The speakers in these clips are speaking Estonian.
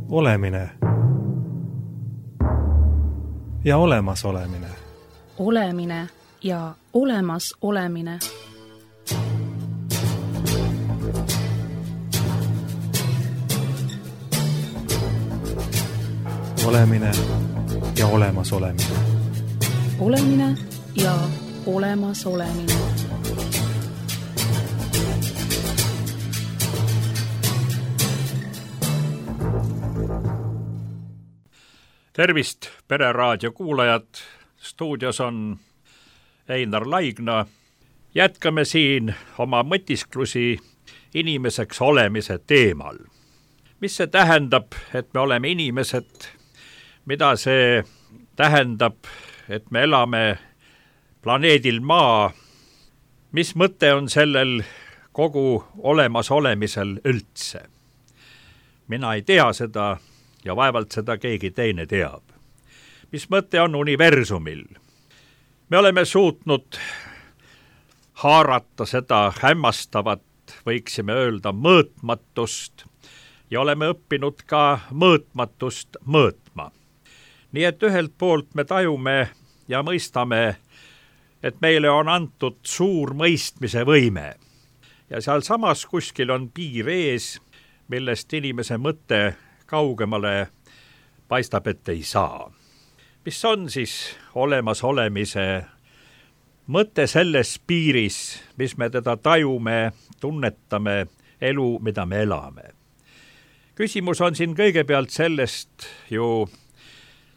Olemine ja olemasolemine. Olemine ja olemas olemine. Olemine ja olemas olemine. Olemine ja olemas olemine. Tervist, Pereraadio kuulajad! Stuudios on Einar Laigna. Jätkame siin oma mõtisklusi inimeseks olemise teemal. Mis see tähendab, et me oleme inimesed? Mida see tähendab, et me elame planeedil Maa? Mis mõte on sellel kogu olemas olemisel üldse? Mina ei tea seda ja vaevalt seda keegi teine teab. Mis mõte on universumil? Me oleme suutnud haarata seda hämmastavat, võiksime öelda, mõõtmatust ja oleme õppinud ka mõõtmatust mõõtma. Nii et ühelt poolt me tajume ja mõistame, et meile on antud suur mõistmise võime. Ja seal samas kuskil on piir ees, millest inimese mõte kaugemale paistab, et ei saa. Mis on siis olemas olemise mõte selles piiris, mis me teda tajume, tunnetame, elu, mida me elame? Küsimus on siin kõigepealt sellest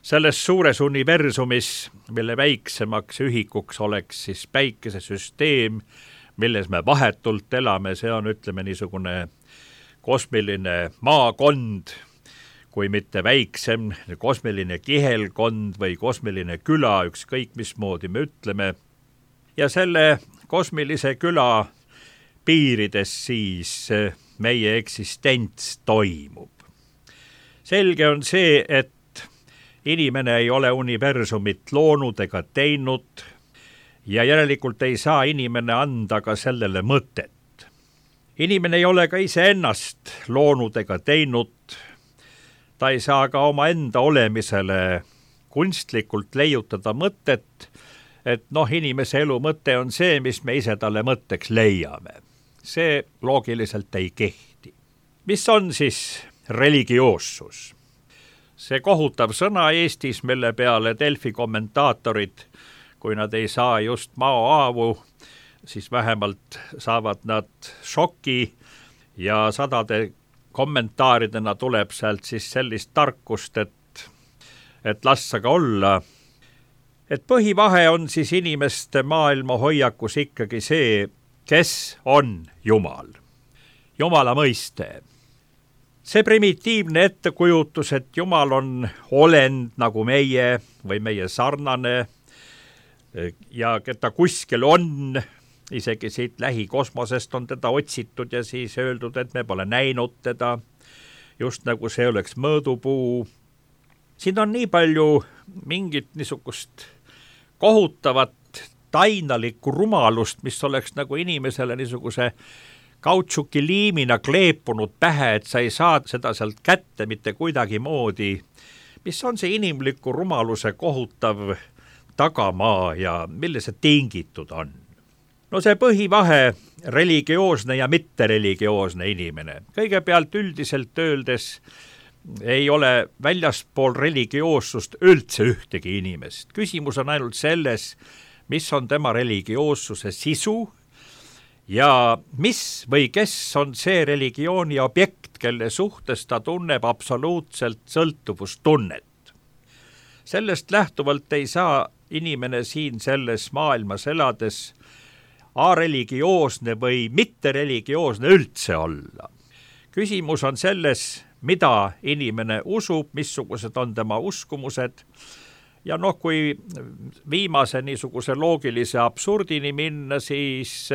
selles suures universumis, mille väiksemaks ühikuks oleks siis päikesesüsteem, milles me vahetult elame, see on, ütleme, niisugune kosmiline maakond, kui mitte väiksem, kosmiline kihelkond või kosmiline küla, ükskõik mismoodi me ütleme. Ja selle kosmilise küla piirides siis meie eksistents toimub. Selge on see, et inimene ei ole universumit loonud ega teinud ja järelikult ei saa inimene anda ka sellele mõtet. Inimene ei ole ka iseennast loonud ega teinud. Ta ei saa ka oma enda olemisele kunstlikult leiutada mõtet, et inimese elu mõte on see, mis me ise talle mõtteks leiame. See loogiliselt ei kehti. Mis on siis religioossus? See kohutav sõna Eestis, mille peale Delfi kommentaatorid, kui nad ei saa just maohaavu, siis vähemalt saavad nad šoki ja sadade kommentaaridena tuleb sealt siis sellist tarkust, et lassa ka olla. Et põhivahe on siis inimeste maailma hoiakus ikkagi see, kes on Jumal. Jumala mõiste. See primitiivne ettekujutus, et Jumal on olend nagu meie või meie sarnane ja keda kuskil on, isegi siit lähikosmosest on teda otsitud ja siis öeldud, et me pole näinud teda, just nagu see oleks mõõdupuu. Siin on nii palju mingit niisugust kohutavat tainalikku rumalust, mis oleks nagu inimesele niisuguse kautšuki liimina kleepunud pähe, et sa ei saa seda sealt kätte mitte kuidagi moodi. Mis on see inimliku rumaluse kohutav tagamaa ja mille see tingitud on? No see põhivahe, religioosne ja mittereligioosne inimene. Kõigepealt üldiselt öeldes ei ole väljaspool religioossust üldse ühtegi inimest. Küsimus on ainult selles, mis on tema religioossuse sisu ja mis või kes on see religiooni objekt, kelle suhtes ta tunneb absoluutselt sõltuvustunnet. Sellest lähtuvalt ei saa inimene siin selles maailmas elades areligioosne või mittereligioosne üldse olla. Küsimus on selles, mida inimene usub, missugused on tema uskumused ja kui viimase niisuguse loogilise absurdini minna, siis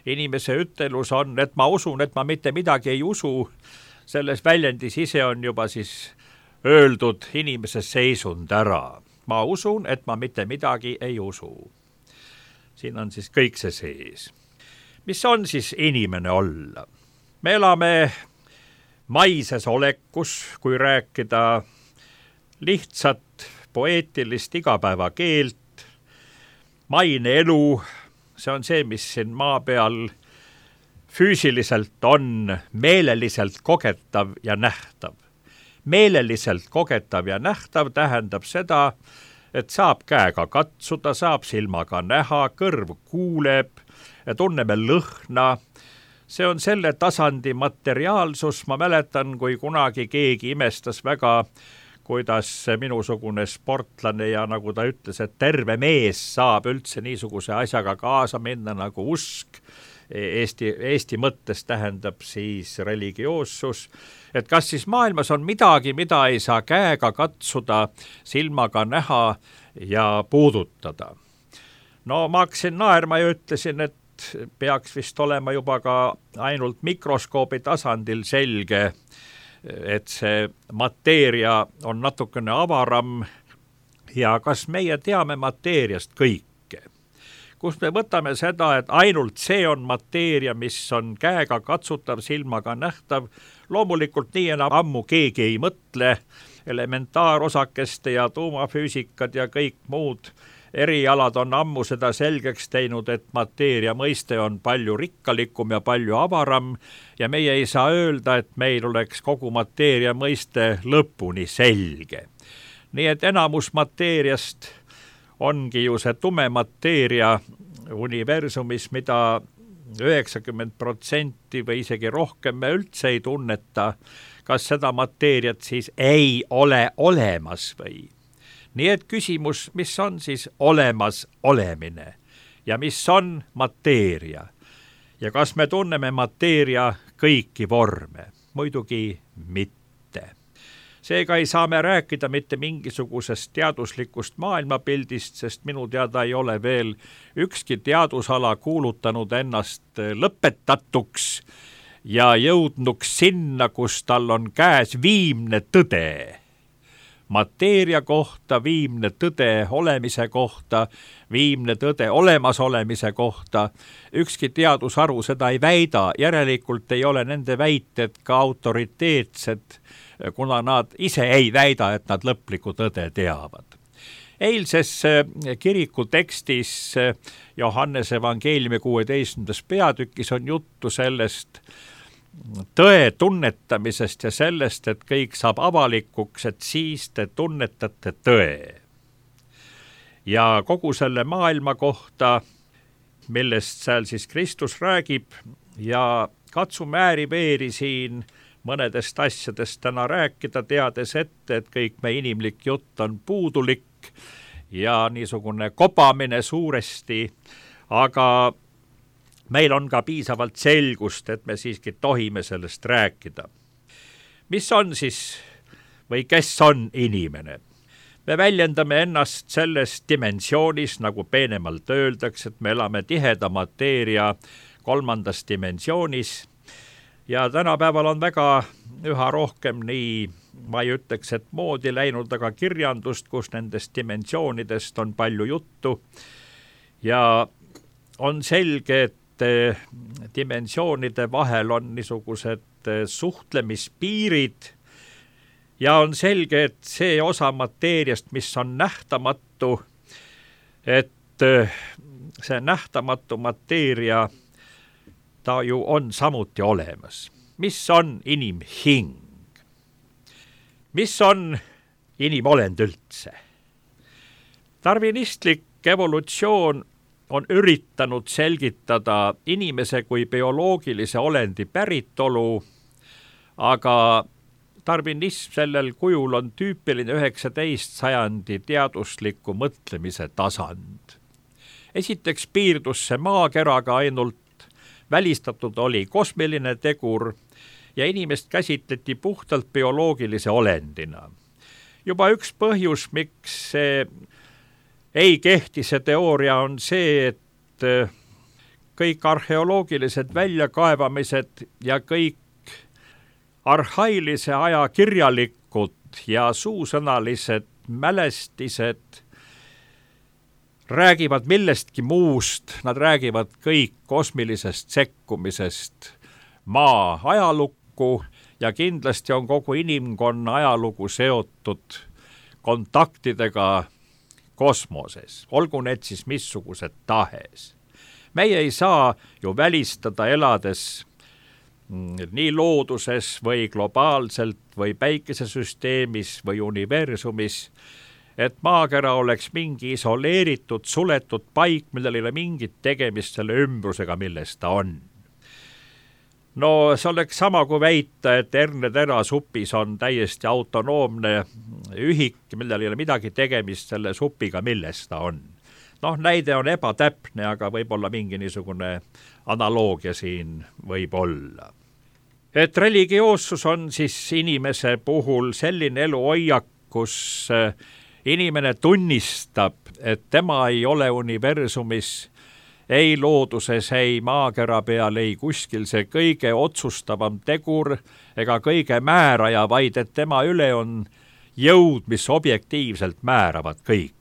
inimese ütelus on, et ma usun, et ma mitte midagi ei usu. Selles väljendis ise on juba siis öeldud inimese seisund ära. Ma usun, et ma mitte midagi ei usu. Siin on siis kõik see sees. Mis on siis inimene olla? Me elame maises olekus, kui rääkida lihtsat poeetilist igapäevakeelt. Maine elu, see on see, mis siin maa peal füüsiliselt on meeleliselt kogetav ja nähtav. Meeleliselt kogetav ja nähtav tähendab seda, et saab käega katsuda, saab silmaga näha, kõrv kuuleb ja tunneme lõhna. See on selle tasandi materiaalsus. Ma mäletan, kui kunagi keegi imestas väga, kuidas minusugune sportlane ja nagu ta ütles, et terve mees saab üldse niisuguse asjaga kaasa minna nagu usk. Eesti mõttes tähendab siis religioossus, et kas siis maailmas on midagi, mida ei saa käega katsuda, silmaga näha ja puudutada. No ma hakkasin naerma ja ütlesin, et peaks vist olema juba ka ainult mikroskoobi tasandil selge, et see mateeria on natukene avaram ja kas meie teame mateeriast kõike. Kust me võtame seda, et ainult see on mateeria, mis on käega katsutav, silmaga nähtav. Loomulikult nii enam ammu keegi ei mõtle, elementaarosakeste ja tuumafüüsikad ja kõik muud erialad on ammu seda selgeks teinud, et mateeria mõiste on palju rikkalikum ja palju avaram ja meie ei saa öelda, et meil oleks kogu mateeria mõiste lõpuni selge. Nii et enamus mateeriast ongi ju see tume mateeria universumis, mida 90% või isegi rohkem me üldse ei tunneta, kas seda mateeriat siis ei ole olemas või. Nii et küsimus, mis on siis olemas olemine ja mis on mateeria ja kas me tunneme mateeria kõiki vorme? Muidugi mitte. Seega ei saa me rääkida mitte mingisugusest teaduslikust maailmapildist, sest minu teada ei ole veel ükski teadusala kuulutanud ennast lõpetatuks ja jõudnuks sinna, kus tal on käes viimne tõde. Mateeria kohta, viimne tõde olemise kohta, viimne tõde olemasolemise kohta. Ükski teadusharu seda ei väida, järelikult ei ole nende väited ka autoriteetsed, kuna nad ise ei väida, et nad lõplikku tõde teavad. Eilses kiriku tekstis Johannese evangeeliumi 16. peatükis on juttu sellest tõe tunnetamisest ja sellest, et kõik saab avalikuks, et siis te tunnetate tõe. Ja kogu selle maailma kohta, millest seal siis Kristus räägib ja katsume ääri-veeri siin mõnedest asjadest täna rääkida, teades ette, et kõik me inimlik jutt on puudulik ja niisugune kobamine suuresti, aga meil on ka piisavalt selgust, et me siiski tohime sellest rääkida. Mis on siis või kes on inimene? Me väljendame ennast selles dimensioonis, nagu peenemalt öeldakse, et me elame tiheda mateeria 3. dimensioonis ja tänapäeval on väga üha rohkem nii, ma ei ütleks, et moodi läinud, aga kirjandust, kus nendest dimensioonidest on palju juttu ja on selge, et dimensioonide vahel on niisugused suhtlemispiirid ja on selge, et see osa mateeriast, mis on nähtamatu, et see nähtamatu mateeria, ta ju on samuti olemas. Mis on inimhing? Mis on inimolend üldse? Darwinistlik evolutsioon on üritanud selgitada inimese kui bioloogilise olendi päritolu, aga darwinism sellel kujul on tüüpiline 19. sajandi teadusliku mõtlemise tasand. Esiteks piirdus see maakeraga ainult, välistatud oli kosmiline tegur ja inimest käsitleti puhtalt bioloogilise olendina. Juba üks põhjus, miks see ei kehti see teooria, on see, et kõik arheoloogilised väljakaevamised ja kõik arhailise aja kirjalikud ja suusõnalised mälestised räägivad millestki muust, nad räägivad kõik kosmilisest sekkumisest maa ajalukku ja kindlasti on kogu inimkonna ajalugu seotud kontaktidega kosmoses, olgu need siis missugused tahes. Meie ei saa ju välistada elades nii looduses või globaalselt või päikesesüsteemis või universumis, et maakera oleks mingi isoleeritud, suletud paik, millel ei ole mingit tegemist selle ümbrusega, milles ta on. No see oleks sama kui väita, et hernetera supis on täiesti autonoomne ühik, millel ei ole midagi tegemist selle supiga, milles ta on. Noh, näide on ebatäpne, aga võib-olla mingi niisugune analoogia siin võib olla. Et religioossus on siis inimese puhul selline eluhoiak, kus inimene tunnistab, et tema ei ole universumis, ei looduses, ei maakera peal, ei kuskil see kõige otsustavam tegur ega kõige määraja, vaid et tema üle on jõud, mis objektiivselt määravad kõike.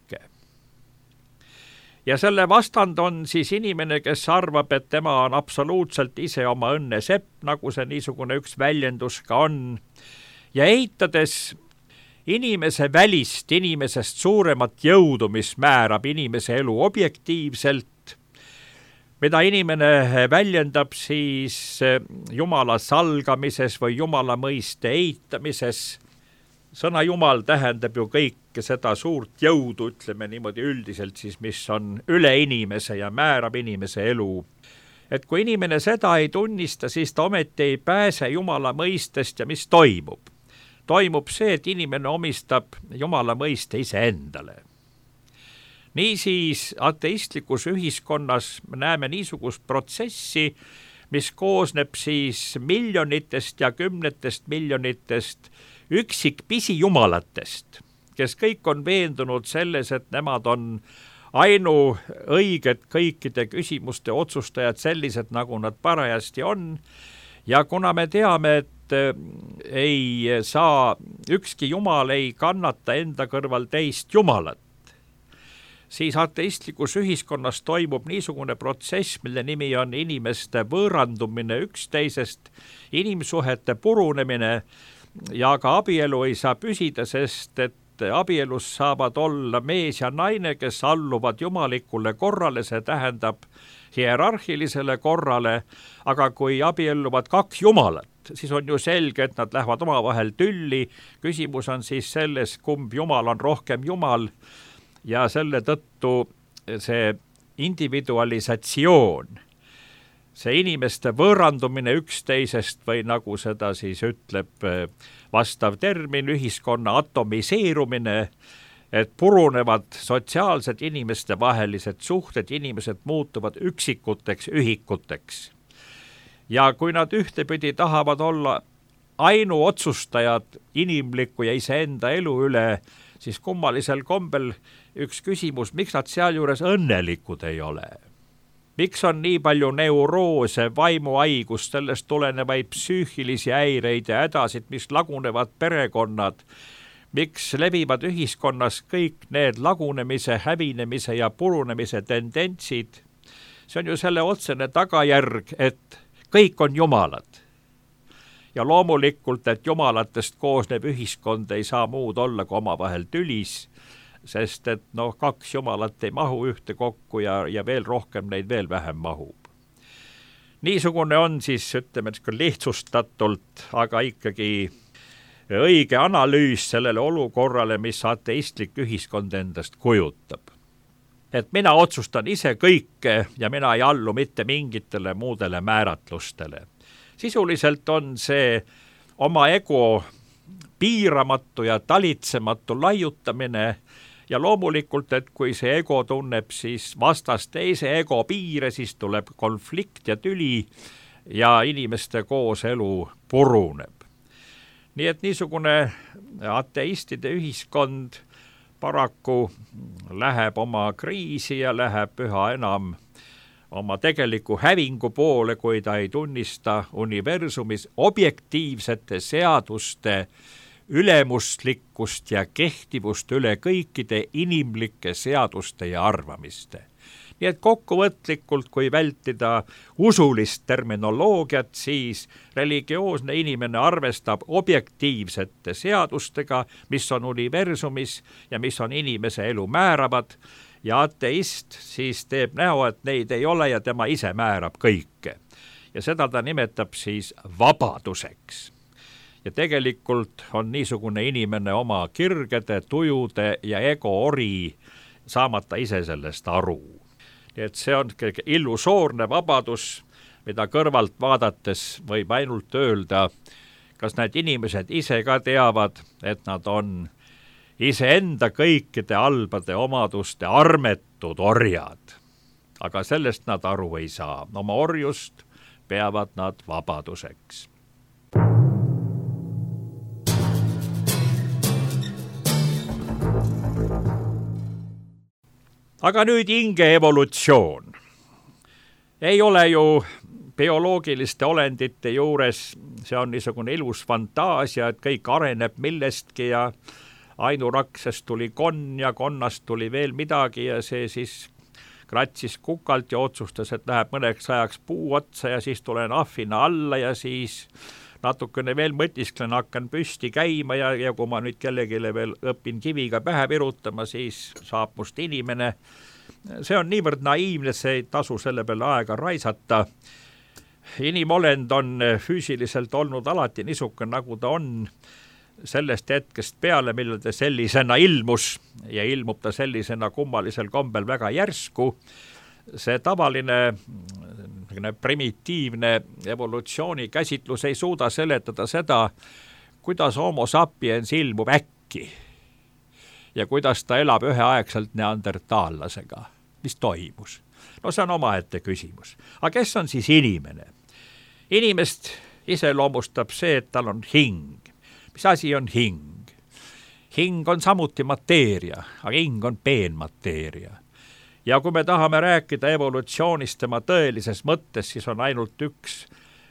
Ja selle vastand on siis inimene, kes arvab, et tema on absoluutselt ise oma õnne sepp, nagu see niisugune üks väljendus ka on, ja eitades inimese välist, inimesest suuremat jõudu, mis määrab inimese elu objektiivselt, mida inimene väljendab siis Jumala salgamises või Jumala mõiste eitamises. Sõna Jumal tähendab ju kõike seda suurt jõudu, ütleme niimoodi üldiselt siis, mis on üle inimese ja määrab inimese elu. Et kui inimene seda ei tunnista, siis ta ometi ei pääse Jumala mõistest ja mis toimub? Toimub see, et inimene omistab Jumala mõiste iseendale. Niisiis ateistlikus ühiskonnas me näeme niisugust protsessi, mis koosneb siis miljonitest ja kümnetest miljonitest üksik pisijumalatest, kes kõik on veendunud selles, et nemad on ainuõiged kõikide küsimuste otsustajad sellised, nagu nad parajasti on. Ja kuna me teame, et ei saa, ükski jumal ei kannata enda kõrval teist jumalat, siis ateistlikus ühiskonnas toimub niisugune protsess, mille nimi on inimeste võõrandumine üksteisest, inimsuhete purunemine, ja ka abielu ei saa püsida, sest et abielus saavad olla mees ja naine, kes alluvad jumalikule korrale, see tähendab hierarhilisele korrale, aga kui abielluvad kaks jumalat, siis on ju selge, et nad lähevad omavahel tülli. Küsimus on siis selles, kumb jumal on rohkem jumal, ja selle tõttu see individualisatsioon, see inimeste võõrandumine üksteisest või nagu seda siis ütleb vastav termin, ühiskonna atomiseerumine, et purunevad sotsiaalsed inimeste vahelised suhted, inimesed muutuvad üksikuteks ühikuteks. Ja kui nad ühtepidi tahavad olla ainuotsustajad inimliku ja iseenda elu üle, siis kummalisel kombel üks küsimus, miks nad sealjuures õnnelikud ei ole? Miks on nii palju neuroose, vaimuhaigust, sellest tulenevaid psüühilisi häireid ja hädasid, mis lagunevad perekonnad? Miks levivad ühiskonnas kõik need lagunemise, hävinemise ja purunemise tendentsid? See on ju selle otsene tagajärg, et kõik on jumalad. Ja loomulikult, et jumalatest koosnev ühiskond ei saa muud olla kui omavahel tülis, sest et kaks jumalat ei mahu ühte kokku ja veel rohkem neid veel vähem mahub. Niisugune on siis, ütleme lihtsustatult, aga ikkagi õige analüüs sellele olukorrale, mis ateistlik ühiskond endast kujutab. Et mina otsustan ise kõike ja mina ei allu mitte mingitele muudele määratlustele. Sisuliselt on see oma ego piiramatu ja talitsematu laiutamine. Ja loomulikult, et kui see ego tunneb siis vastast teise ego piire, siis tuleb konflikt ja tüli ja inimeste kooselu puruneb. Nii et niisugune ateistide ühiskond paraku läheb oma kriisi ja läheb üha enam oma tegeliku hävingu poole, kui ta ei tunnista universumis objektiivsete seaduste ülemuslikkust ja kehtivust üle kõikide inimlike seaduste ja arvamiste. nii et kokkuvõtlikult, kui vältida usulist terminoloogiat, siis religioosne inimene arvestab objektiivsete seadustega, mis on universumis ja mis on inimese elu määravad, ja ateist siis teeb näo, et neid ei ole ja tema ise määrab kõike. Ja seda ta nimetab siis vabaduseks. Ja tegelikult on niisugune inimene oma kirgede, tujude ja ego ori, saamata ise sellest aru. Nii et see on illusoorne vabadus, mida kõrvalt vaadates võib ainult öelda, kas need inimesed ise ka teavad, et nad on iseenda kõikide halbade omaduste armetud orjad. Aga sellest nad aru ei saa. Oma orjust peavad nad vabaduseks. Aga nüüd hinge evolutsioon. Ei ole ju bioloogiliste olendite juures, see on niisugune ilus fantaasia, et kõik areneb millestki ja ainuraksest tuli konn ja konnast tuli veel midagi ja see siis kratsis kukalt ja otsustas, et läheb mõneks ajaks puu otsa ja siis tulen ahvina alla ja siis natukene veel mõtisklen, hakkan püsti käima ja kui ma nüüd kellegile veel õpin kiviga pähe virutama, siis saab must inimene. See on niivõrd naiivne, see ei tasu selle peale aega raisata. Inimolend on füüsiliselt olnud alati niisugune, nagu ta on sellest hetkest peale, millal ta sellisena ilmus ja ilmub ta sellisena kummalisel kombel väga järsku. See tavaline primitiivne evolutsiooni käsitlus ei suuda seletada seda, kuidas homo sapiens ilmub äkki ja kuidas ta elab üheaegselt neandertaallasega. Mis toimus? No see on omaette küsimus. Aga kes on siis inimene? Inimest iseloomustab see, et tal on hing. Mis asi on hing? Hing on samuti mateeria, aga hing on peenmateeria. Ja kui me tahame rääkida evolutsioonist tema tõelises mõttes, siis on ainult üks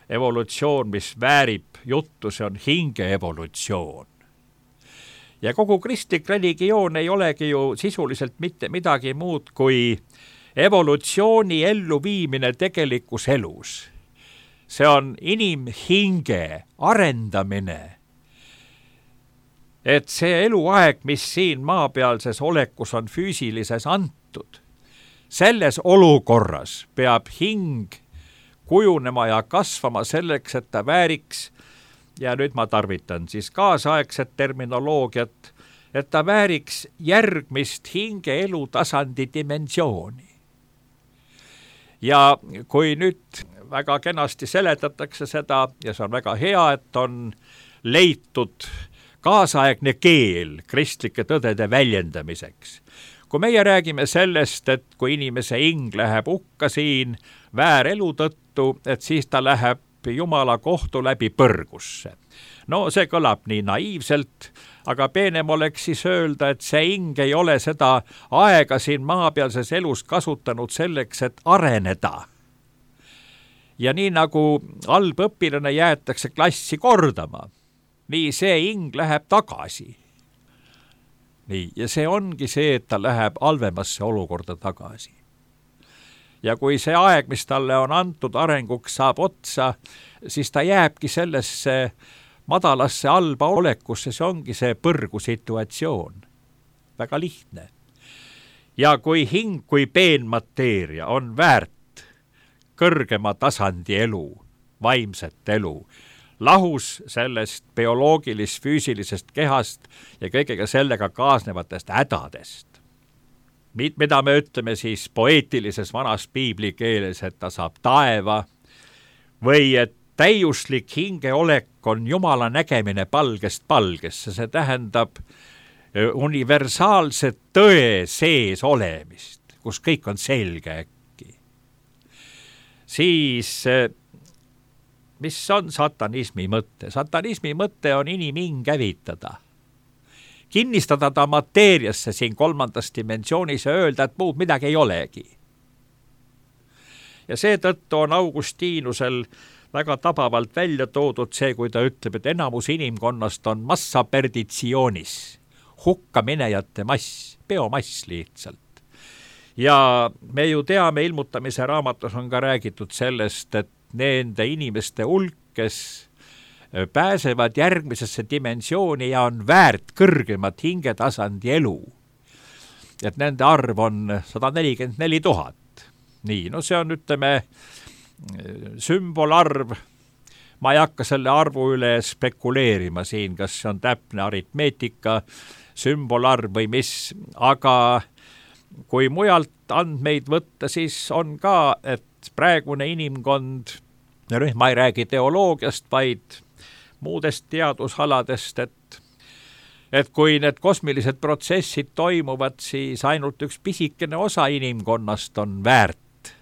evolutsioon, mis väärib juttu, see on hinge evolutsioon. Ja kogu kristlik religioon ei olegi ju sisuliselt mitte midagi muud kui evolutsiooni elluviimine tegelikus elus. See on inimhinge arendamine. Et see eluaeg, mis siin maapealses olekus on füüsilises antud, selles olukorras peab hing kujunema ja kasvama selleks, et ta vääriks, ja nüüd ma tarvitan siis kaasaegset terminoloogiat, et ta vääriks järgmist hinge elutasandi dimensiooni. Ja kui nüüd väga kenasti seletatakse seda, ja see on väga hea, et on leitud kaasaegne keel kristlike tõdede väljendamiseks. Kui meie räägime sellest, et kui inimese hing läheb hukka siin väärelu tõttu, et siis ta läheb Jumala kohtu läbi põrgusse. No see kõlab nii naiivselt, aga peenem oleks siis öelda, et see hing ei ole seda aega siin maapealses elus kasutanud selleks, et areneda. Ja nii nagu halb õpilane jäetakse klassi kordama, nii see hing läheb tagasi. Nii, ja see ongi see, et ta läheb halvemasse olukorda tagasi. Ja kui see aeg, mis talle on antud arenguks, saab otsa, siis ta jääbki sellesse madalasse halba olekusse, see ongi see põrgu situatsioon. Väga lihtne. Ja kui hing, kui peenmateeria on väärt kõrgema tasandi elu, vaimset elu, lahus sellest bioloogilis-füüsilisest kehast ja kõigega sellega kaasnevatest hädadest, mida me ütleme siis poeetilises vanas piibli keeles, et ta saab taeva, või et täiuslik hingeolek on Jumala nägemine palgest palgesse, see tähendab universaalse tõe sees olemist, kus kõik on selge äkki. Siis mis on satanismi mõte? Satanismi mõte on inimhing hävitada. Kinnistada ta mateeriasse siin kolmandas dimensioonis ja öelda, et muud midagi ei olegi. Ja seetõttu on Augustinusel väga tabavalt välja toodud see, kui ta ütleb, et enamus inimkonnast on massa perditsioonis, hukkaminejate mass, biomass lihtsalt. ja me ju teame, ilmutamise raamatus on ka räägitud sellest, et nende inimeste hulk, kes pääsevad järgmisesse dimensiooni ja on väärt kõrgemat hingetasandi elu, et nende arv on 144 000. Nii, no see on, ütleme, sümbolarv. Ma ei hakka selle arvu üle spekuleerima siin, kas see on täpne aritmeetika, sümbolarv või mis, aga kui mujalt andmeid võtta, siis on ka, et praegune inimkond, ja nüüd ma ei räägi teoloogiast, vaid muudest teadusaladest, et kui need kosmilised protsessid toimuvad, siis ainult üks pisikene osa inimkonnast on väärt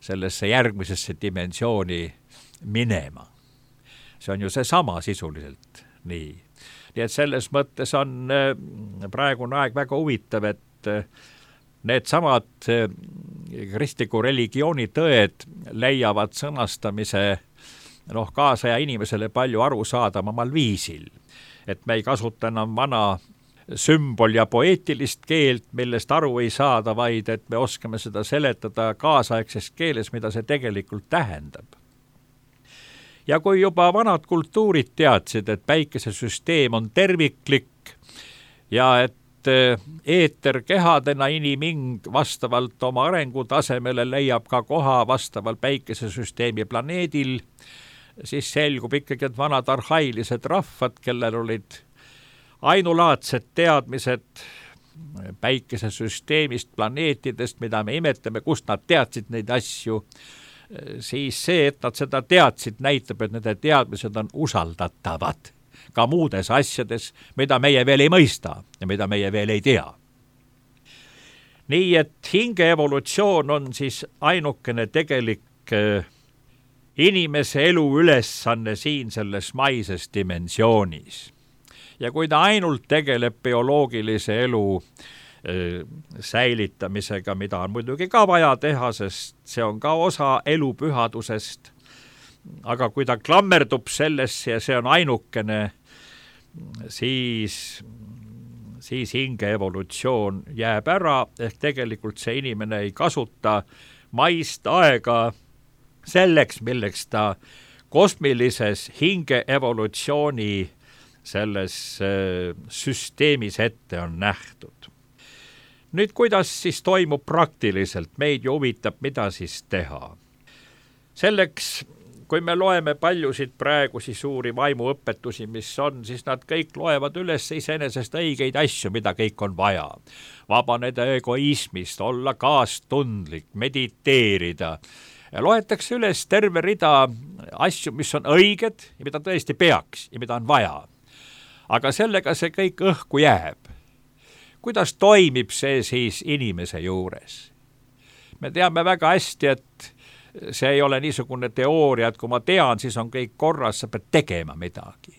sellesse järgmisesse dimensiooni minema. See on ju seesama sisuliselt nii. Nii et selles mõttes on praegune aeg väga huvitav, et need samad kristliku religiooni tõed leiavad sõnastamise kaasaja inimesele palju arusaadavamal viisil. Et me ei kasuta enam vana sümbol- ja poeetilist keelt, millest aru ei saada, vaid et me oskame seda seletada kaasaegses keeles, mida see tegelikult tähendab. Ja kui juba vanad kultuurid teadsid, et päikesesüsteem on terviklik ja et eeterkehadena iniming vastavalt oma arengutasemele leiab ka koha vastaval päikesesüsteemi planeedil, siis selgub ikkagi, et vanad arhailised rahvad, kellel olid ainulaadsed teadmised päikesesüsteemist, planeetidest, mida me imetleme, kust nad teadsid neid asju, siis see, et nad seda teadsid, näitab, et nende teadmised on usaldatavad ka muudes asjades, mida meie veel ei mõista ja mida meie veel ei tea. Nii et hinge evolutsioon on siis ainukene tegelik inimese elu ülesanne siin selles maises dimensioonis. Ja kui ta ainult tegeleb bioloogilise elu säilitamisega, mida on muidugi ka vaja teha, sest see on ka osa elupühadusest, aga kui ta klammerdub sellesse ja see on ainukene, siis hinge evolutsioon jääb ära, ehk tegelikult see inimene ei kasuta maist aega selleks, milleks ta kosmilises hinge evolutsiooni selles süsteemis ette on nähtud. Nüüd, kuidas siis toimub praktiliselt? Meid ju huvitab, mida siis teha. Selleks, kui me loeme paljusid praegusi suuri vaimuõpetusi, mis on, siis nad kõik loevad üles iseenesest õigeid asju, mida kõik on vaja. Vabaneda egoismist, olla kaastundlik, mediteerida. Ja loetakse üles terve rida asju, mis on õiged ja mida tõesti peaks ja mida on vaja. Aga sellega see kõik õhku jääb. Kuidas toimib see siis inimese juures? Me teame väga hästi, et see ei ole niisugune teooria, et kui ma tean, siis on kõik korras, sa pead tegema midagi.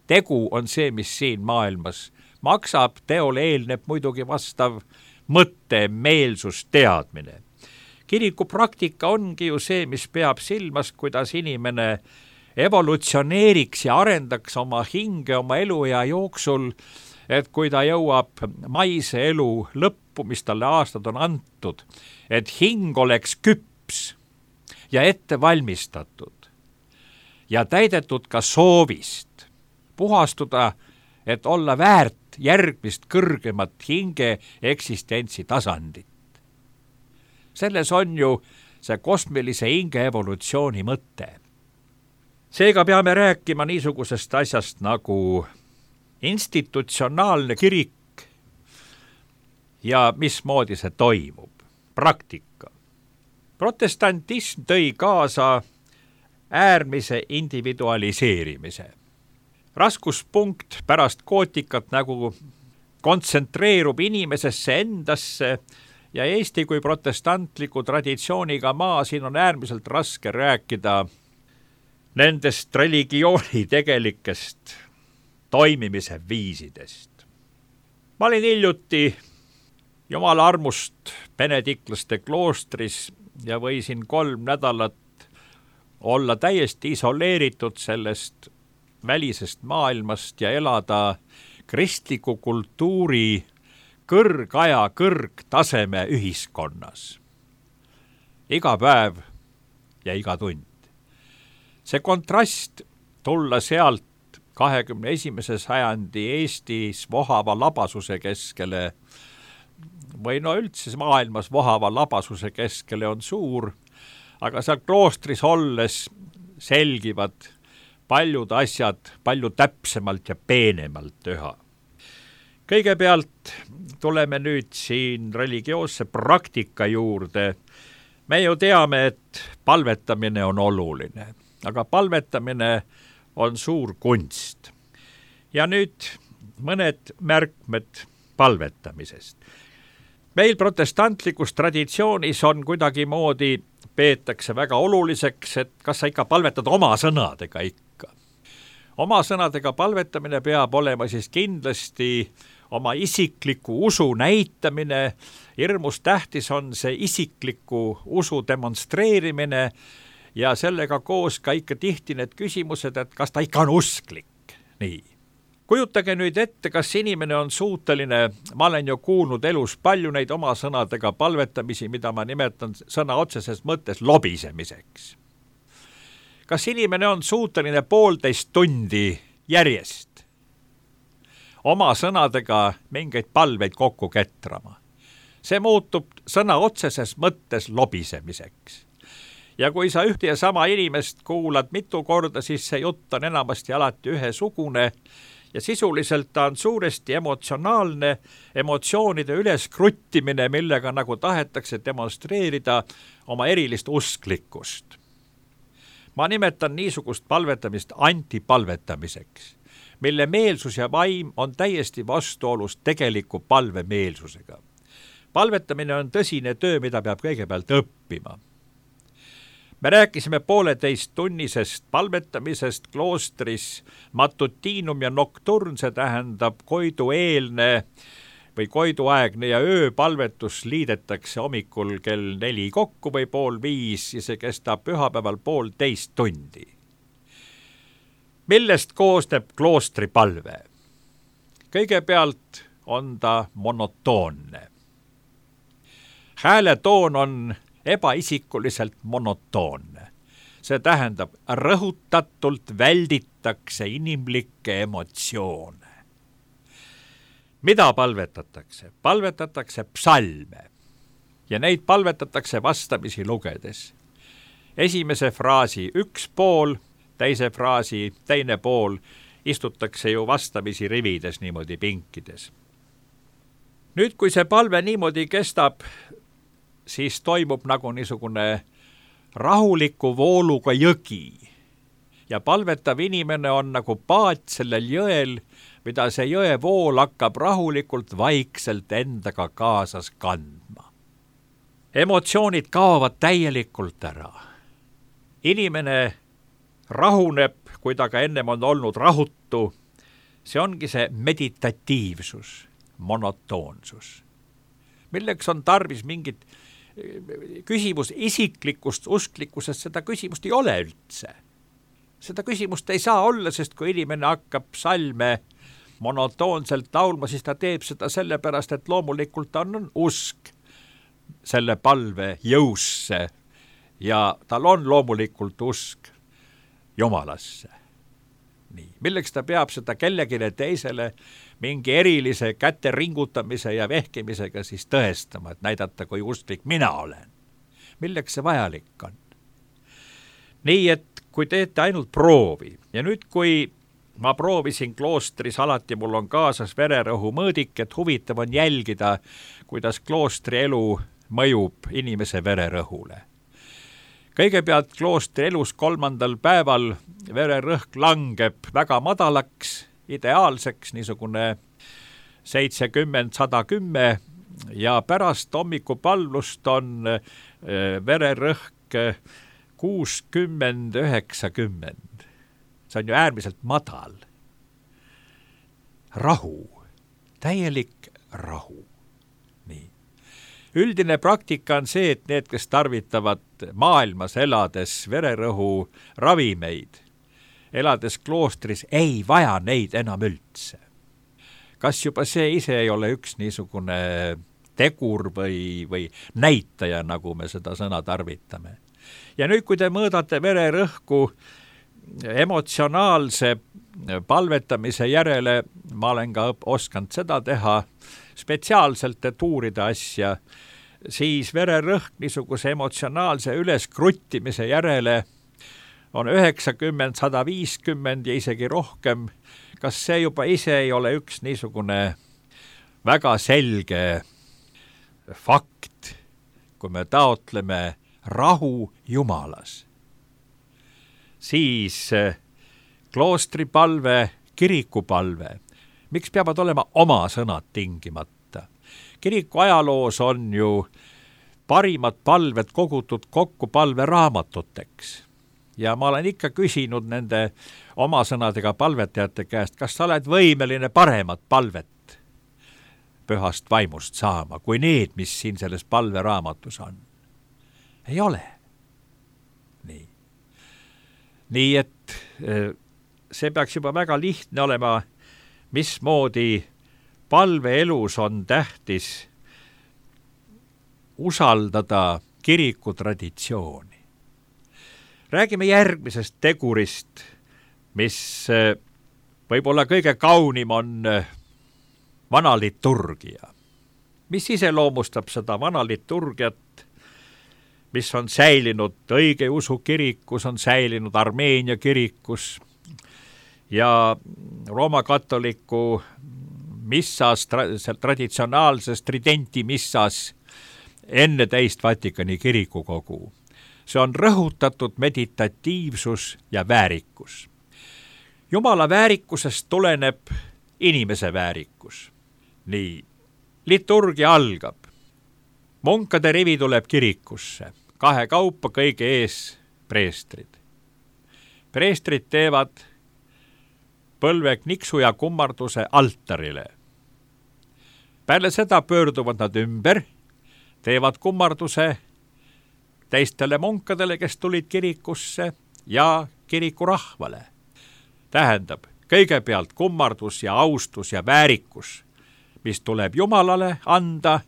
Tegu on see, mis siin maailmas maksab, teole eelneb muidugi vastav mõtte, meelsus, teadmine. Kiriku praktika ongi ju see, mis peab silmas, kuidas inimene evolutsioneeriks ja arendaks oma hinge, oma eluea jooksul, et kui ta jõuab maise elu lõppu, mis talle aastad on antud, et hing oleks küps ja ette valmistatud ja täidetud ka soovist puhastuda, et olla väärt järgmist kõrgemat hinge eksistentsi tasandit. Selles on ju see kosmilise hinge evolutsiooni mõte. Seega peame rääkima niisugusest asjast nagu institutsionaalne kirik ja mismoodi see toimub. Praktika. Protestantism tõi kaasa äärmise individualiseerimise. Raskuspunkt pärast gootikat nagu kontsentreerub inimesesse endasse ja Eesti kui protestantliku traditsiooniga maa, siin on äärmiselt raske rääkida nendest religiooni tegelikest toimimise viisidest. Ma olin hiljuti Jumala armust benediklaste kloostris ja võisin 3 nädalat olla täiesti isoleeritud sellest välisest maailmast ja elada kristliku kultuuri kõrgaja kõrgtaseme ühiskonnas. Iga päev ja iga tund. See kontrast tulla sealt 21. sajandi Eestis vohava labasuse keskele või no üldse maailmas vohava labasuse keskele on suur, aga seal kloostris olles selgivad paljud asjad palju täpsemalt ja peenemalt üha. Kõigepealt tuleme nüüd siin religioosse praktika juurde. Me ju teame, et palvetamine on oluline, aga palvetamine on suur kunst. Ja nüüd mõned märkmed palvetamisest. Meil protestantlikus traditsioonis on kuidagimoodi peetakse väga oluliseks, et kas sa ikka palvetad oma sõnadega ikka. Oma sõnadega palvetamine peab olema siis kindlasti oma isikliku usu näitamine. Hirmus tähtis on see isikliku usu demonstreerimine ja sellega koos ka ikka tihti need küsimused, et kas ta ikka on usklik. Nii. Kujutage nüüd ette, kas inimene on suuteline, ma olen ju kuulnud elus palju neid oma sõnadega palvetamisi, mida ma nimetan sõna otseses mõttes lobisemiseks. Kas inimene on suuteline 1,5 tundi järjest oma sõnadega mingeid palveid kokku ketrama? See muutub sõna otseses mõttes lobisemiseks. Ja kui sa ühte ja sama inimest kuulad mitu korda, siis see jutt on enamasti alati ühesugune ja sisuliselt ta on suuresti emotsionaalne, emotsioonide üleskruttimine, millega nagu tahetakse demonstreerida oma erilist usklikkust. Ma nimetan niisugust palvetamist antipalvetamiseks, mille meelsus ja vaim on täiesti vastuolus tegeliku palvemeelsusega. Palvetamine on tõsine töö, mida peab kõigepealt õppima. Me rääkisime 1,5 tunnisest palvetamisest kloostris, matutiinum ja nocturn, see tähendab koidueelne või koiduaegne ja ööpalvetus liidetakse hommikul kell 4 kokku või 4:30 ja see kestab pühapäeval 1,5 tundi. Millest koosneb kloostri palve? Kõigepealt on ta monotoonne. Hääletoon on ebaisikuliselt monotoonne. See tähendab, rõhutatult välditakse inimlikke emotsioone. Mida palvetatakse? Palvetatakse psalme ja neid palvetatakse vastamisi lugedes. Esimese fraasi üks pool, teise fraasi teine pool istutakse ju vastamisi rivides niimoodi pinkides. Nüüd, kui see palve niimoodi kestab, siis toimub nagu niisugune rahuliku vooluga jõgi ja palvetav inimene on nagu paat sellel jõel, mida see jõevool hakkab rahulikult vaikselt endaga kaasas kandma. Emotsioonid kaovad täielikult ära. Inimene rahuneb, kui ta ka ennem on olnud rahutu. See ongi see meditatiivsus, monotoonsus. Milleks on tarvis mingit küsimus isiklikust usklikkusest, seda küsimust ei ole üldse. Seda küsimust ei saa olla, sest kui inimene hakkab salme monotoonselt laulma, siis ta teeb seda sellepärast, et loomulikult on usk selle palve jõusse ja tal on loomulikult usk Jumalasse. Nii. Milleks ta peab seda kellegile teisele mingi erilise käte ringutamise ja vehkimisega siis tõestama, et näidata, kui usklik mina olen. Milleks see vajalik on? Nii, et kui teete ainult proovi ja nüüd, kui ma proovisin kloostris, alati mul on kaasas vererõhu mõõdik, et huvitav on jälgida, kuidas kloostri elu mõjub inimese vererõhule. Kõigepealt kloostri elus 3. päeval vererõhk langeb väga madalaks, ideaalseks, niisugune 70-110 ja pärast hommikupalvust on vererõhk 60-90. See on ju äärmiselt madal. Rahu, täielik rahu. Nii. Üldine praktika on see, et need, kes tarvitavad maailmas elades vererõhu ravimeid, elades kloostris, ei vaja neid enam üldse. kas juba see ise ei ole üks niisugune tegur või näitaja, nagu me seda sõna tarvitame. Ja nüüd, kui te mõõdate vererõhku emotsionaalse palvetamise järele, ma olen ka osanud seda teha spetsiaalselt, et uurida asja, siis vererõhk niisuguse emotsionaalse üleskruttimise järele on 90, 150 ja isegi rohkem. Kas see juba ise ei ole üks niisugune väga selge fakt, kui me taotleme rahu Jumalas? Siis kloostripalve, kirikupalve. Miks peavad olema oma sõnad tingimata? Kiriku ajaloos on ju parimad palved kogutud kokku palveraamatuteks. Ja ma olen ikka küsinud nende oma sõnadega palvetajate käest, kas sa oled võimeline paremat palvet pühast vaimust saama, kui need, mis siin selles palveraamatus on. Ei ole. Nii et see peaks juba väga lihtne olema, mismoodi palveelus on tähtis usaldada kirikutraditsiooni. Räägime järgmisest tegurist, mis võib-olla kõige kaunim on vana liturgia. Mis iseloomustab seda vana liturgiat, mis on säilinud õigeusu kirikus, on säilinud Armeenia kirikus ja Rooma katoliku missas, traditsionaalses tridenti missas enne teist Vatikani kirikukogu. See on rõhutatud meditatiivsus ja väärikus. Jumala väärikusest tuleneb inimese väärikus. Nii, liturgia algab. Munkade rivi tuleb kirikusse. 2 kaupa kõige ees preestrid. Preestrid teevad põlve kniksu ja kummarduse altarile. Peale seda pöörduvad nad ümber, teevad kummarduse teistele munkadele, kes tulid kirikusse ja kirikurahvale. Tähendab, kõigepealt kummardus ja austus ja väärikus, mis tuleb Jumalale anda.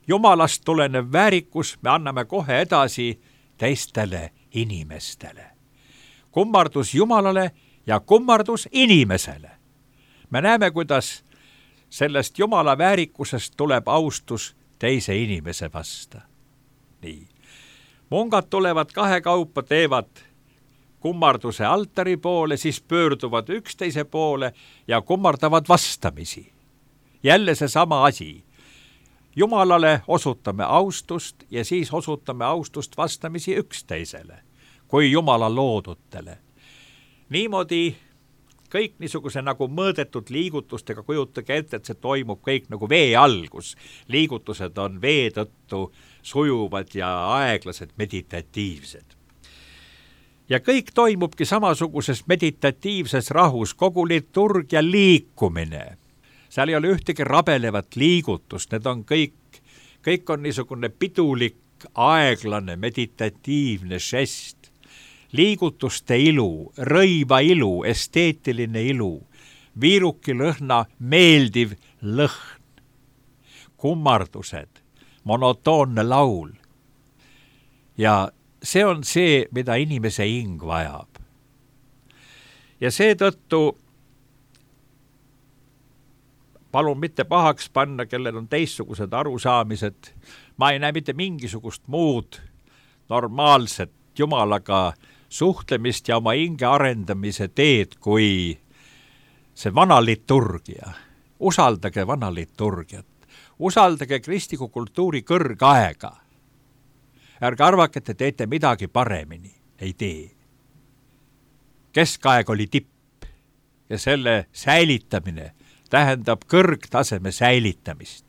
Jumalast tulenev väärikus me anname kohe edasi teistele inimestele. Kummardus Jumalale ja kummardus inimesele. Me näeme, kuidas sellest Jumala väärikusest tuleb austus teise inimese vasta. Nii. Mungad tulevad 2 kaupa, teevad kummarduse altari poole, siis pöörduvad üksteise poole ja kummardavad vastamisi. Jälle see sama asi. Jumalale osutame austust ja siis osutame austust vastamisi üksteisele, kui Jumala loodutele. Niimoodi kõik niisuguse nagu mõõdetud liigutustega, kujutage ette, et see toimub kõik nagu vee algus. Liigutused on vee tõttu sujuvad ja aeglased, meditatiivsed. Ja kõik toimubki samasuguses meditatiivses rahus, kogu liturgia liikumine. Seal ei ole ühtegi rabelevat liigutust, need on kõik on niisugune pidulik, aeglane, meditatiivne žest. Liigutuste ilu, rõiva ilu, esteetiline ilu, viiruki lõhna, meeldiv lõhn, kummardused, monotoonne laul. Ja see on see, mida inimese hing vajab. Ja seetõttu palun mitte pahaks panna, kellel on teistsugused arusaamised. Ma ei näe mitte mingisugust muud normaalset Jumalaga suhtlemist ja oma hinge arendamise teed kui see vana liturgia. Usaldage vana liturgiat. Usaldage kristliku kultuuri kõrgaega. Ärge arvake, et te teete midagi paremini. Ei tee. Keskaeg oli tipp ja selle säilitamine tähendab kõrgtaseme säilitamist.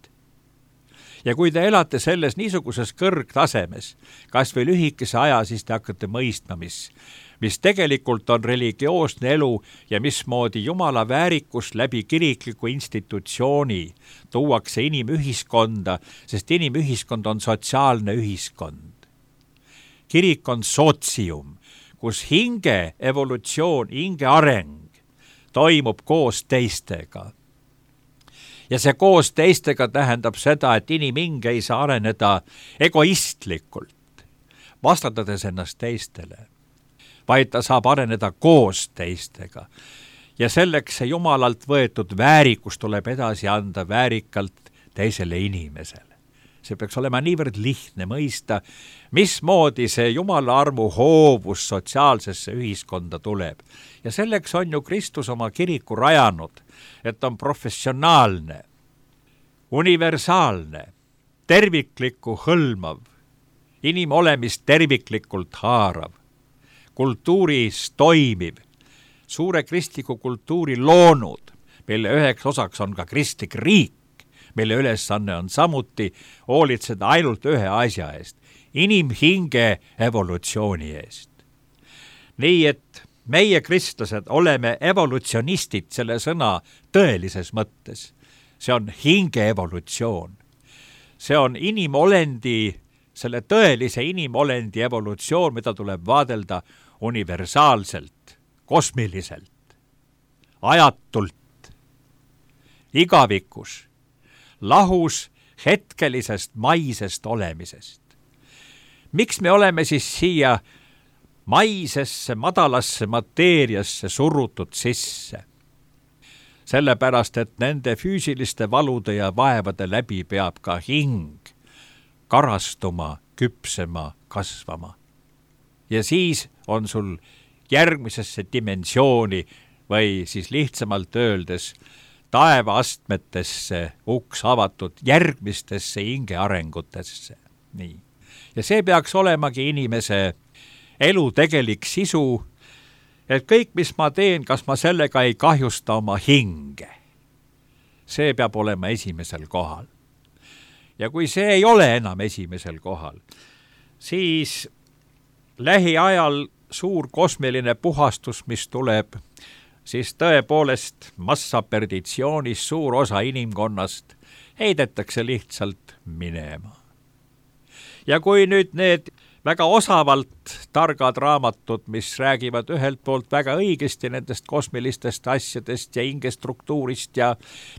Ja kui te elate selles niisuguses kõrgtasemes, kas või lühikese aja, siis te hakkate mõistma, mis tegelikult on religioosne elu ja mismoodi Jumala väärikus läbi kirikliku institutsiooni tuuakse inimühiskonda, sest inimühiskond on sotsiaalne ühiskond. Kirik on sotsium, kus hinge evolutsioon, hinge areng toimub koos teistega. ja see koos teistega tähendab seda, et inimhing ei saa areneda egoistlikult, vastandades ennast teistele, vaid ta saab areneda koos teistega. Ja selleks see Jumalalt võetud väärikus tuleb edasi anda väärikalt teisele inimesele. See peaks olema niivõrd lihtne mõista, mismoodi see Jumala armu hoovus sotsiaalsesse ühiskonda tuleb. Ja selleks on ju Kristus oma kiriku rajanud, et on professionaalne, universaalne, terviklikku hõlmav, inimolemist terviklikult haarav, kultuuris toimiv, suure kristliku kultuuri loonud, mille üheks osaks on ka kristlik riik, mille ülesanne on samuti hoolitseda ainult ühe asja eest, inimhinge evolutsiooni eest. Nii et meie kristlased oleme evolutsionistid selle sõna tõelises mõttes. See on hinge evolutsioon. See on inimolendi, selle tõelise inimolendi evolutsioon, mida tuleb vaadelda universaalselt, kosmiliselt, ajatult, igavikus, lahus hetkelisest maisest olemisest. Miks me oleme siis siia maisesse, madalasse mateeriasse surutud sisse? Sellepärast, et nende füüsiliste valude ja vaevade läbi peab ka hing karastuma, küpsema, kasvama. Ja siis on sul järgmisesse dimensiooni või siis lihtsamalt öeldes taevaastmetesse uks avatud järgmistesse hingearengutesse. Nii. Ja see peaks olemagi inimese elu tegelik sisu, et kõik, mis ma teen, kas ma sellega ei kahjusta oma hinge. See peab olema esimesel kohal. Ja kui see ei ole enam esimesel kohal, siis lähiajal suur kosmiline puhastus, mis tuleb, siis tõepoolest massaperditsioonis suur osa inimkonnast heidetakse lihtsalt minema. Ja kui nüüd need väga osavalt targad raamatud, mis räägivad ühelt poolt väga õigesti nendest kosmilistest asjadest ja hingestruktuurist ja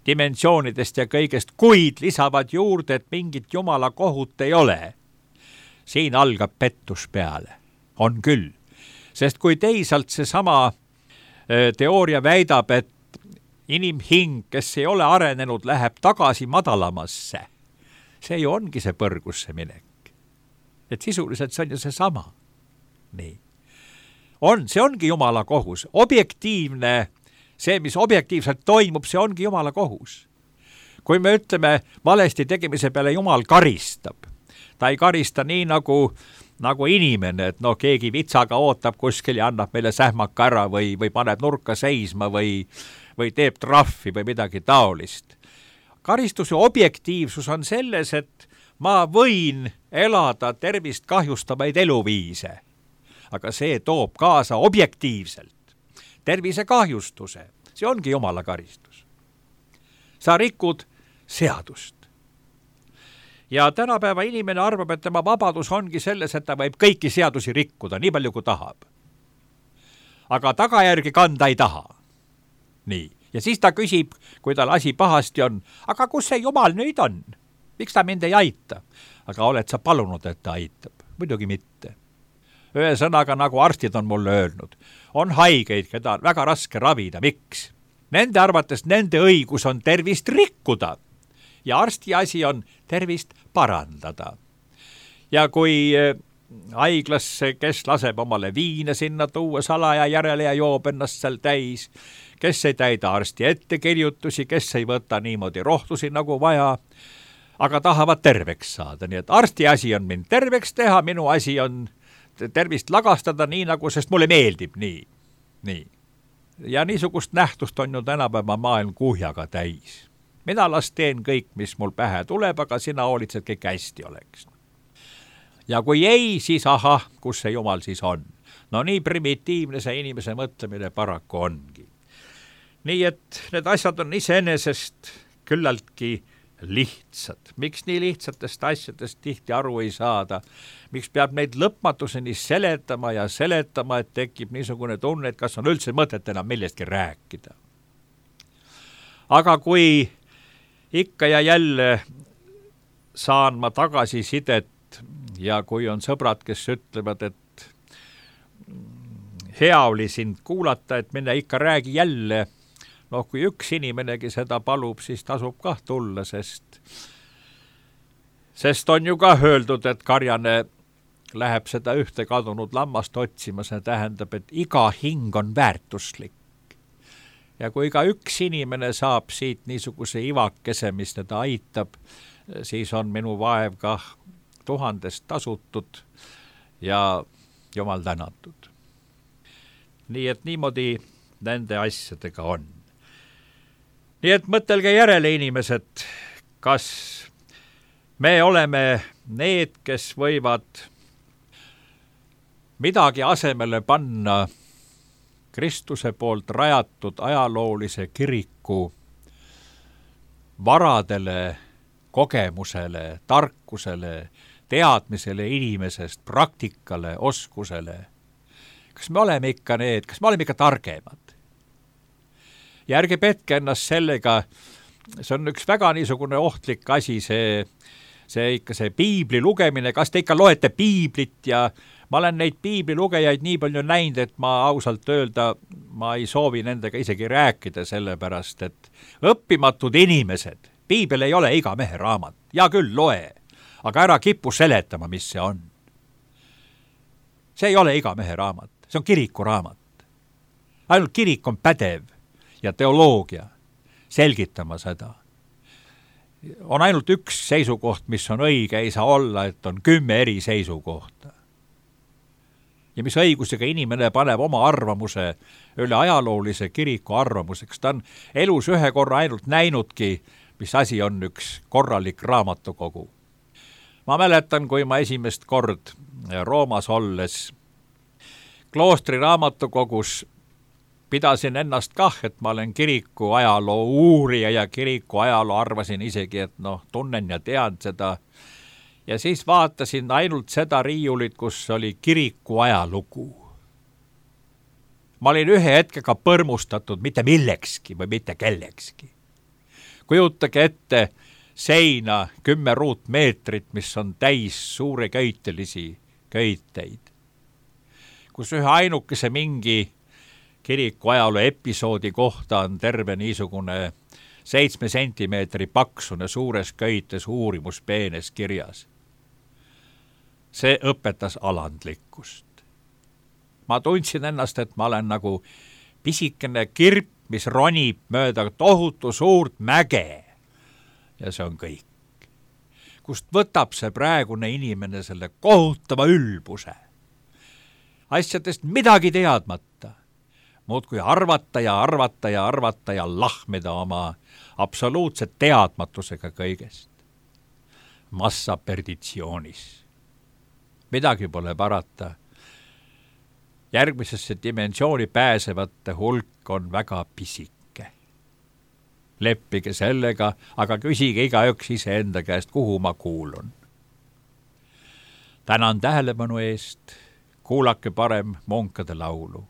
dimensioonidest ja kõigest, kuid lisavad juurde, et mingit Jumala kohut ei ole, siin algab pettus peale. On küll. Sest kui teisalt seesama teooria väidab, et inimhing, kes ei ole arenenud, läheb tagasi madalamasse. See ju ongi see põrgusse minek. Et sisuliselt see on ju seesama. Nii. See ongi Jumala kohus. Objektiivne, see, mis objektiivselt toimub, see ongi Jumala kohus. Kui me ütleme valesti tegemise peale Jumal karistab, ta ei karista nii nagu inimene, et keegi vitsaga ootab kuskil ja annab meile sähmaka ära või paneb nurka seisma või teeb trahvi või midagi taolist. Karistuse objektiivsus on selles, et ma võin elada tervist kahjustavaid eluviise, aga see toob kaasa objektiivselt tervise kahjustuse. See ongi Jumala karistus. Sa rikud seadust. Ja tänapäeva inimene arvab, et tema vabadus ongi selles, et ta võib kõiki seadusi rikkuda, nii palju kui tahab. Aga tagajärgi kanda ei taha. Nii. Ja siis ta küsib, kui tal asi pahasti on, aga kus see Jumal nüüd on? Miks ta mind ei aita? Aga oled sa palunud, et ta aitab? Muidugi mitte. Ühesõnaga, nagu arstid on mulle öelnud, on haigeid, keda on väga raske ravida. Miks? Nende arvates nende õigus on tervist rikkuda ja arsti asi on tervist parandada. Ja kui haiglasse, kes laseb omale viina sinna tuua salaja järele ja joob ennast seal täis, kes ei täida arsti ettekirjutusi, kes ei võta niimoodi rohtusi nagu vaja, aga tahavad terveks saada. Nii et arsti asi on mind terveks teha, minu asi on tervist lagastada nii nagu, sest mulle meeldib nii. Ja niisugust nähtust on ju tänapäeva maailm kuhjaga täis. Mina las teen kõik, mis mul pähe tuleb, aga sina hoolitsed, kõik hästi oleks. Ja kui ei, siis kus see Jumal siis on? No nii primitiivne see inimese mõtlemine paraku ongi. Nii et need asjad on iseenesest küllaltki lihtsad. Miks nii lihtsatest asjadest tihti aru ei saada? Miks peab neid lõpmatuseni seletama, et tekib niisugune tunne, et kas on üldse mõtet enam millestki rääkida? Aga kui ikka ja jälle saan ma tagasisidet ja kui on sõbrad, kes ütlevad, et hea oli sind kuulata, et mine ikka räägi jälle, kui üks inimenegi seda palub, siis tasub kah tulla, sest on ju ka öeldud, et karjane läheb seda ühte kadunud lammast otsima, see tähendab, et iga hing on väärtuslik. Ja kui ka üks inimene saab siit niisuguse ivakese, mis teda aitab, siis on minu vaev kah 1000 tasutud ja jumal tänatud. Nii et niimoodi nende asjadega on. Nii et mõtelge järele, inimesed, kas me oleme need, kes võivad midagi asemele panna Kristuse poolt rajatud ajaloolise kiriku varadele, kogemusele, tarkusele, teadmisele inimesest, praktikale, oskusele. Kas me oleme ikka need, kas me oleme ikka targemad? Ja ärge petke ennast sellega, see on üks väga niisugune ohtlik asi, see piibli lugemine, kas te ikka loete piiblit ja ma olen neid piiblilugejaid nii palju näinud, et ma ausalt öelda, ma ei soovi nendega isegi rääkida, sellepärast, et õppimatud inimesed, piibel ei ole iga mehe raamat, ja küll loe, aga ära kipu seletama, mis see on. See ei ole iga mehe raamat, see on kiriku raamat. Ainult kirik on pädev ja teoloogia selgitama seda. On ainult üks seisukoht, mis on õige, ei saa olla, et on 10 eri seisukohta. Ja mis õigusega inimene paneb oma arvamuse üle ajaloolise kiriku arvamuseks. Ta on elus ühe korra ainult näinudki, mis asi on üks korralik raamatukogu. Ma mäletan, kui ma esimest kord Roomas olles kloostri raamatukogus pidasin ennast kah, et ma olen kiriku ajaloo uurija ja kiriku ajaloo arvasin isegi, et tunnen ja tean seda. Ja siis vaatasin ainult seda riiulit, kus oli kiriku ajalugu. Ma olin ühe hetkega põrmustatud mitte millekski või mitte kellekski. Kujutage ette seina 10 ruutmeetrit, mis on täis suure köitelisi köiteid, kus ühe ainukese mingi kiriku ajaloo episoodi kohta on terve niisugune 7 sentimeetri paksune suures köites uurimuspeenes kirjas. See õpetas alandlikkust. Ma tundsin ennast, et ma olen nagu pisikene kirp, mis ronib mööda tohutu suurt mäge. Ja see on kõik. Kust võtab see praegune inimene selle kohutava ülbuse? Asjadest midagi teadmata. Muudkui arvata ja arvata ja arvata ja lahmida oma absoluutse teadmatusega kõigest. Massa perditsioonis. Midagi pole parata. Järgmisesse dimensiooni pääsevate hulk on väga pisike. Leppige sellega, aga küsige igaüks iseenda käest, kuhu ma kuulun. Tänan tähelepanu eest, kuulake parem Munkade laulu.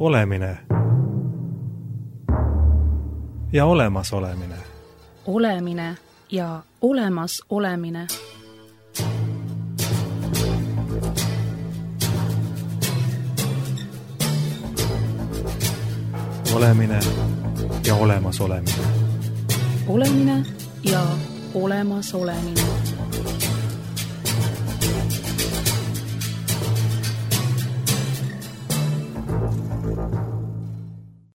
olemine ja olemasolemine. Olemine ja olemas olemine. Olemine ja olemasolemine. Olemine ja olemas olemine.